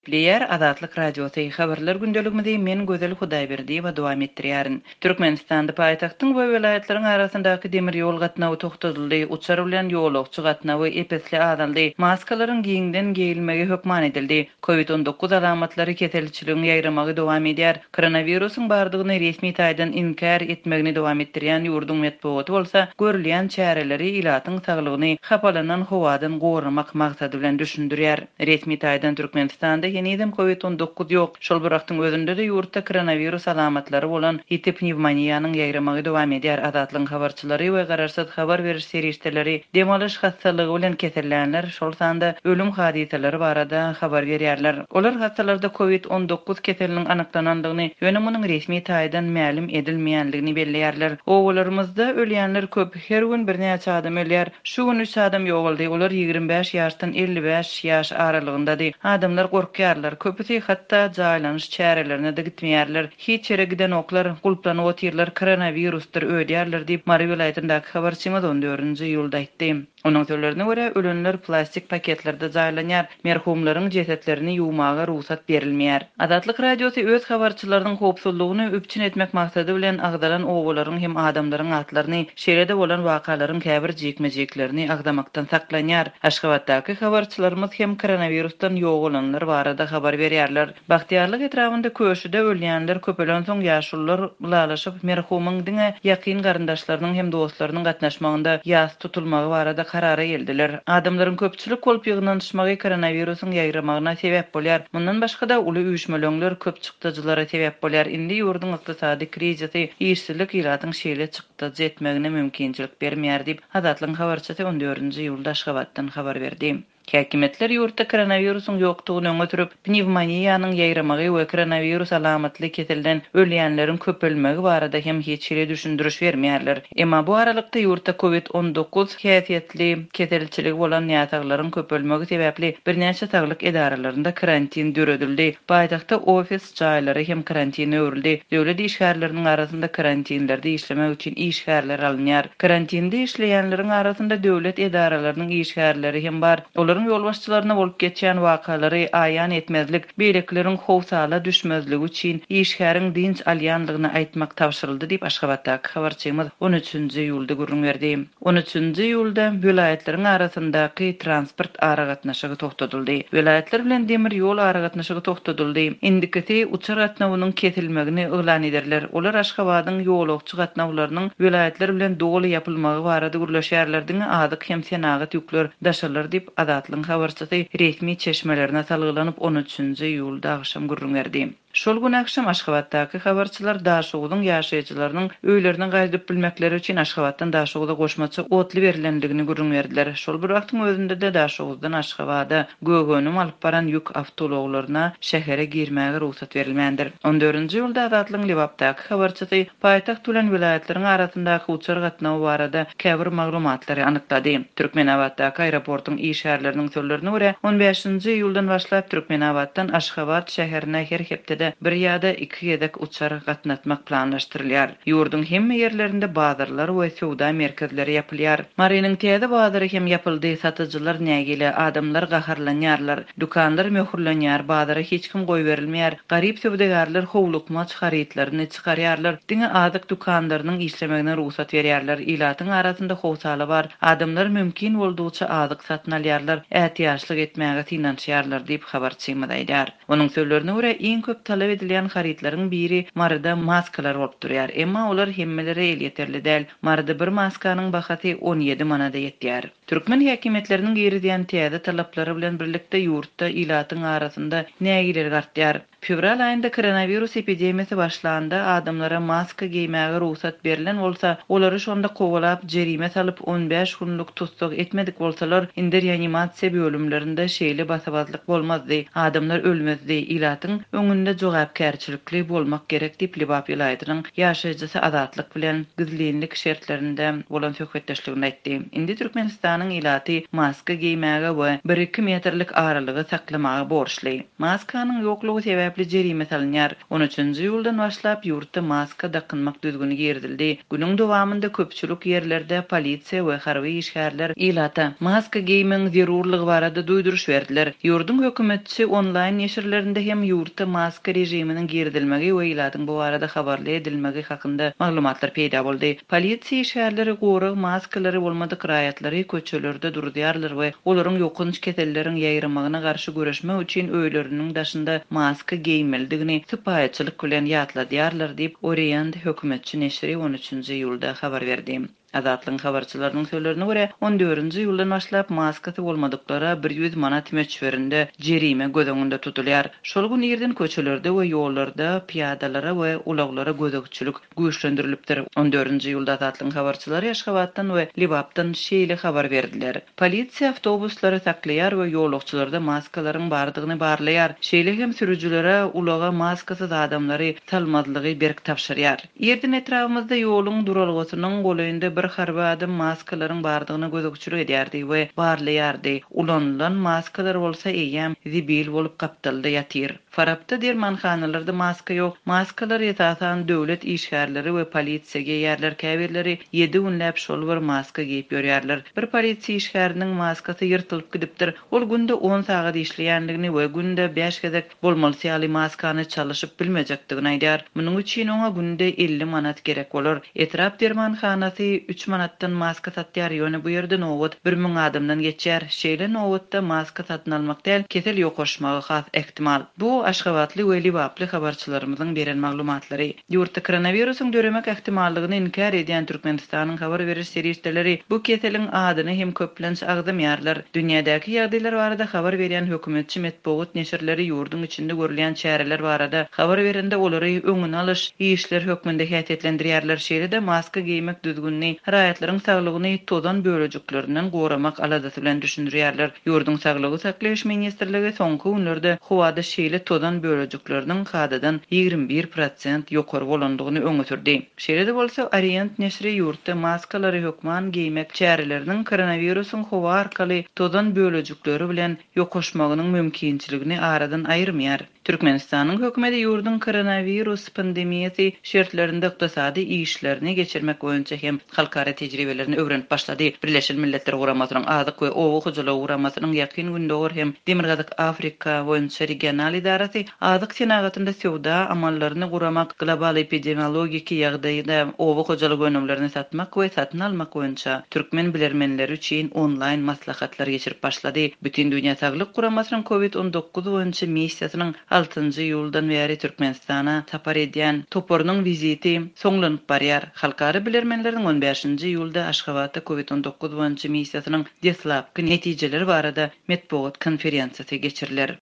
Gepleýär Azatlyk Radiosy, Habarlar gündeligimizi men Gözel Hudaýberdiýewa dowam etdirýärin. Türkmenistanda paýtagtyň we welaýatlaryň arasyndaky demir ýol gatnawy togtadyldy, uçar bilen ýolagçy gatnawy ep-esli azaldy, maskalaryň giňden geýilmegi hökman edildi. Covid 19 alamatlary keselçiligiň ýaýramagy dowam edýär. Koronawirusyň bardygyny resmi taýdan inkär etmegini dowam etdirýän ýurduň metbugaty bolsa görülýän çäreleri ilatyň saglygyny hapalanan howadan goramak maksady bilen düşündirýär. Resmi taýdan Türkmenistanda henizem Covid 19 ýok. Şol bir wagtyň özünde-de ýurtda koronawirus alamatlary bolan ýiti pnewmoniýanyň ýaýramagy dowam edýär. Azatlygyň habarçylary we garaşsyz habar beriş serişdeleri dem alyş hassalygy bilen kesellänler, şol sanda ölüm hadysalary barada habar berýärler. Olar hassalarda Covid 19 keseliniň anyklanandygyny, ýöne munuň resmi taýdan mälim edilmeýändigini belleýärler. Obalarymyzda ölýänler köp. Her gün birnäçe adam ölýär. Şu gün üç adam ýogaldy, olar 25 ýaşdan 55 ýaş aralygyndady. Adamlar gorkýarlar, köpüsi hatda jaýlanyş çärelerine-de gitmeýärler. Hiç ýere gidenoklar, gulplanyp otyrlar, koronawirusdyr öýdýärler diýip, Mary welaýatyndaky habarçymyz on dördünji iýulda aýtdy. Onuň sözlerine görä, ölenler plastik paketlerde jaýlanýar, merhumlaryň jesetlerini ýuwmaga rugsat berilmeýär. Azatlyk Radiosy öz habarçylarynyň howpsuzlygyny üpjün etmek maksady bilen agzalan obalaryň hem adamlaryň atlaryny, şeýle-de bolan wakalaryň käbir jikme-jiklerini agzamakdan saklanýar. Aşgabatdaky habarçylarymyz hem koronawirusdan ýogalanlar barada habar berýärler. Bagtyýarlyk etrabynda Köşüde ölýänler köpelensoň ýaşulular ylalaşyp, merhumyň diňe ýakyn garyndaşlarynyň hem dostlarynyň gatnaşmagynda ýas tutulmagy barada karara geldiler. Adamlaryň köpçülik bolup ýygnanyşmagy koronawirusyň ýaýramagyna sebäp bolýar. Mundan başga-da, uly üýşmeleňler köp çykdajylara sebäp bolýar. Indi ýurduň ykdysady krizisi, işsizlik ilatyň şeýle çykdajy etmegine mümkinçilik bermeýär diýip, Azatlygyň habarçysy on dördünji iýulda Aşgabatdan habar berdi. Häkimiýetler ýurtda koronawirusyň ýokdugyny öňe sürüp, pnewmoniýanyň ýaýramagy we koronawirus alamatly keselden ölýänleriň köpelmegi barada hem hiç hili düşündiriş bermeýärler. Emma bu aralykda ýurtda covid 19 häsiýetli keselçiligi bolan näsaglaryň köpelmegi sebäpli birnäçe saglyk edaralarynda karantin döredildi. Paýtagtda ofis jaýlary hem karantine öwrüldi. Döwlet işgärleriniň arasynda karantinlerde işlemek üçin işgärler alynýar. Karantinde işleýänleriň arasynda döwlet edaralarynyň işgärleri hem bar. Olaryň ýolbaşçylaryna bolup geçýän wakalary aýan etmezlik, beýlekileriň howsala düşmezligi üçin işgäriň dynç alýanlygyny aýtmak tabşyryldy diýip, Aşgabatdaky habarçymyz on üçünji iýulda gürrüň berdi. On üçünji iýulda welaýatlaryň arasyndaky transport aragatnaşygy togtadyldy. Welaýatlar bilen demir ýol aragatnaşygy togtadyldy. Indikisi uçar gatnawynyň kesilmegini yglan ederler. Olar Aşgabadyň ýolagçy gatnawlarynyň welaýatlar bilen doly ýapylmagy barada gürleşýärler, diňe azyk hem senagat ýükler daşalar diýip, Azatlygyň habarçysy resmi çeşmelerine salgylanyp, on üçünji iýulda agşam gürrüň berdi. Şol gün agşam Aşgabatdaky habarçylar Daşoguzyň ýaşaýjylarynyň öýlerine gaýdyp bilmekleri üçin Aşgabatdan Daşoguza goşmaça otly berlendigini gürrüň berdiler. Şol bir wagtyň özünde-de Daşoguzdan Aşgabada gök önüm alyp baran ýük awtoulaglaryna şähere girmäge rugsat berilmändir. On dördünji iýulda Azatlygyň Lebapdaky habarçysy Paýtagt bilen welaýatlaryň arasyndaky uçar gatnawy barada käbir maglumatlary anyklady. Türkmenabatdaky aeroportuň işgärleriniň sözlerine görä, on bäşinji iýuldan başlap Türkmenabatdan Aşgabat şäherine her hepdede bir ýa-da iki gezek uçar gatnatmak planlaşdyrylýar. Ýurduň hemme ýerlerinde bazarlar we söwda merkezleri ýapylýar. Marynyň täze bazary hem ýapyldy, satyjylar nägile, adamlar gaharlanýarlar. Dükanlar möhürlenýär, bazara hiç kim goýberilmeýär, garyp söwdagärler howlukmaç harytlaryny çykarýarlar, diňe azyk dükanlarynyň işlemegine rugsat berýärler, ilatyň arasynda howsala bar, adamlar mümkin boldugyça azyk satyn alýarlar, ätiýaçlyk etmäge synanyşýarlar diýip, habarçymyz aýdýar. Onuň sözlerine görä, iň köp talap edilýän harytlaryň biri Maryda maskalar bolup durýar, emma olar hemmelere elýeterli däl, Maryda bir maskanyň bahasy 17 manada ýetýär. Türkmen häkimiýetleriniň girizýän täze talaplary bilen birlikde ýurtda ilatyň arasynda nägilelik artýar. Fewral aýynda koronawirus epidemiýasy başlanda adamlara maska geýmäge rugsat berlen bolsa, olary şonda kowalap, jerime salyp, 15 günlük tussag etmedik bolsalar, indi reanimasiýa bölümlerinde şeýle basabazlyk bolmazdy, adamlar ölmezdi, ilatyň öňünde. jogapkärçilikli bolmak gerek diýip, Lebap welaýatynyň ýaşaýjysy Azatlyk bilen gizlinlik şertlerinde bolan söhbetdeşliginde aýtdy. Indi Türkmenistanyň ilaty maska geýmäge we bir-iki metrlik aralygy saklamaga borçly. Maskanyň ýoklugy sebäpli jerime salynýar. On üçünji iýuldan başlap ýurtda maska dakynmak düzgüni girizildi. Günüň dowamynda köpçülik ýerlerde polisiýa we harby işgärler ilata maska geýmegiň zerurlygy barada duýduryş berdiler. Ýurduň hökümetçi onlaýn neşirlerinde hem ýurtda maska režiminiň girizilmegi we ilatyň bu barada habarly edilmegi hakynda maglumatlar peýda boldy. Polisiýa işgärleri gorag maskalary bolmadyk raýatlary köçelerde duruzýarlar we olaryň ýokanç keselleriň ýaýramagyna garşy göreşmek üçin öýleriniň daşynda maska geýmelidigini sypaýyçylyk bilen ýatladýarlar diýip, Orient hökümetçi neşiri on üçünji iýulda habar berdi. Azatlygyň habarçylarynyň sözlerine görä, on dördünji iýuldan başlap maskasy bolmadyklara 100 manat möçberinde jerime göz öňünde tutulýar. Şol gün irden köçelerde we ýollarda pyýadalara we ulaglara gözegçilik güýçlendirilipdir. On dördünji iýulda Azatlygyň habarçylary Aşgabatdan we Lebapdan şeýle habar berdiler. Polisiýa awtobuslary saklaýar we ýolagçylarda maskalaryň bardygyny barlaýar. Şeýle hem sürüjilere ulaga maskasyz adamlary salmazlygy berk tabşyrýar. Irden etrabymyzda ýoluň duralgasynyň golaýynda bir harby adam maskalaryň bardygyna gözegçilik edýärdi we barlaýardy. Ulanylan maskalar bolsa eýýäm zibil bolup gapdalda ýatyr. Farapda dermanhanalarda maska ýok. Maskalary esasan döwlet işgärleri we polisiýa geýýärler, käbirleri ýedi günläp şol bir maska geýip ýörýärler. Bir polisiýa işgäriniň maskasy ýyrtylyp gidipdir. Ol günde on sagat işleýändigini we günde bäş gezek bolmalysy ýaly maskany çalyşyp bilmejekdigini aýdýar. Munuň üçin oňa günde 50 manat gerek bolar. Etrap dermanhanasy üç manatdan maska satýar, ýöne bu ýerde nobat 1000 adamdan geçýär. Şeýle nobatda maska satyn almak däl, kesel ýokaşmagy has ähtimal. Bu aşgabatly we lebaply habarçylarymyzyň beren maglumatlary. Ýurtda koronawirusyň döremek ähtimallygyny inkär edýän Türkmenistanyň habar beriş serişdeleri bu keseliň adyny hem köplenç agzamaýarlar. Dünýädäki ýagdaýlar barada habar berýän hökümetçi metbugat neşirleri ýurduň içinde görülýän çäreler barada habar berende olary öňüni alyş işler hökmünde häsiýetlendirýärler, şeýle-de maska geýmek düzgünini raýatlaryň saglygyny tozan bölejiklerinden goramak aladasy bilen düşündirýärler. Ýurduň Saglygy saklaýyş ministrligi soňky günlerde howada şeýle tozan bölejikleriniň kadadan 21% ýokary bolandygyny öňe sürdi. Şeýle-de bolsa, Orient neşiri ýurtda maskalary hökman geýmek çäreleriniň koronawirusyň howa arkaly tozan bölejikleri bilen ýokaşmagynyň mümkinçiligini aradan aýyrmaýar. Türkmenistanyň hökümeti ýurduň koronawirus pandemiýasy şertlerinde ykdysady işlerini geçirmek boýunça hem halkara tejribelerini öwrenip başlady. Birleşen Milletler Guramasynyň Azyk we oba hojalygy guramasynyň Ýakyn Gündogar hem Demirgazyk Afrika boýunça regional edarasy azyk senagatynda söwda amallaryny guramak, global epidemiologiki ýagdaýda oba hojalyk önümlerini satmak we satyn almak boýunça türkmen bilermenleri üçin onlaýn maslahatlar geçirip başlady. Bütindünýä Saglyk Guramasynyň Covid 19 boýunça missiýasynyň altynjy iýuldan bäri Türkmenistana sapar edýän toparynyň wiziti soňlanyp barýar. Halkara bilermenleriniň on bäşinji iýulda Aşgabatda Covid 19 boýunça missiýasynyň deslapky netijeleri barada metbugat konferensiýasy geçiriler.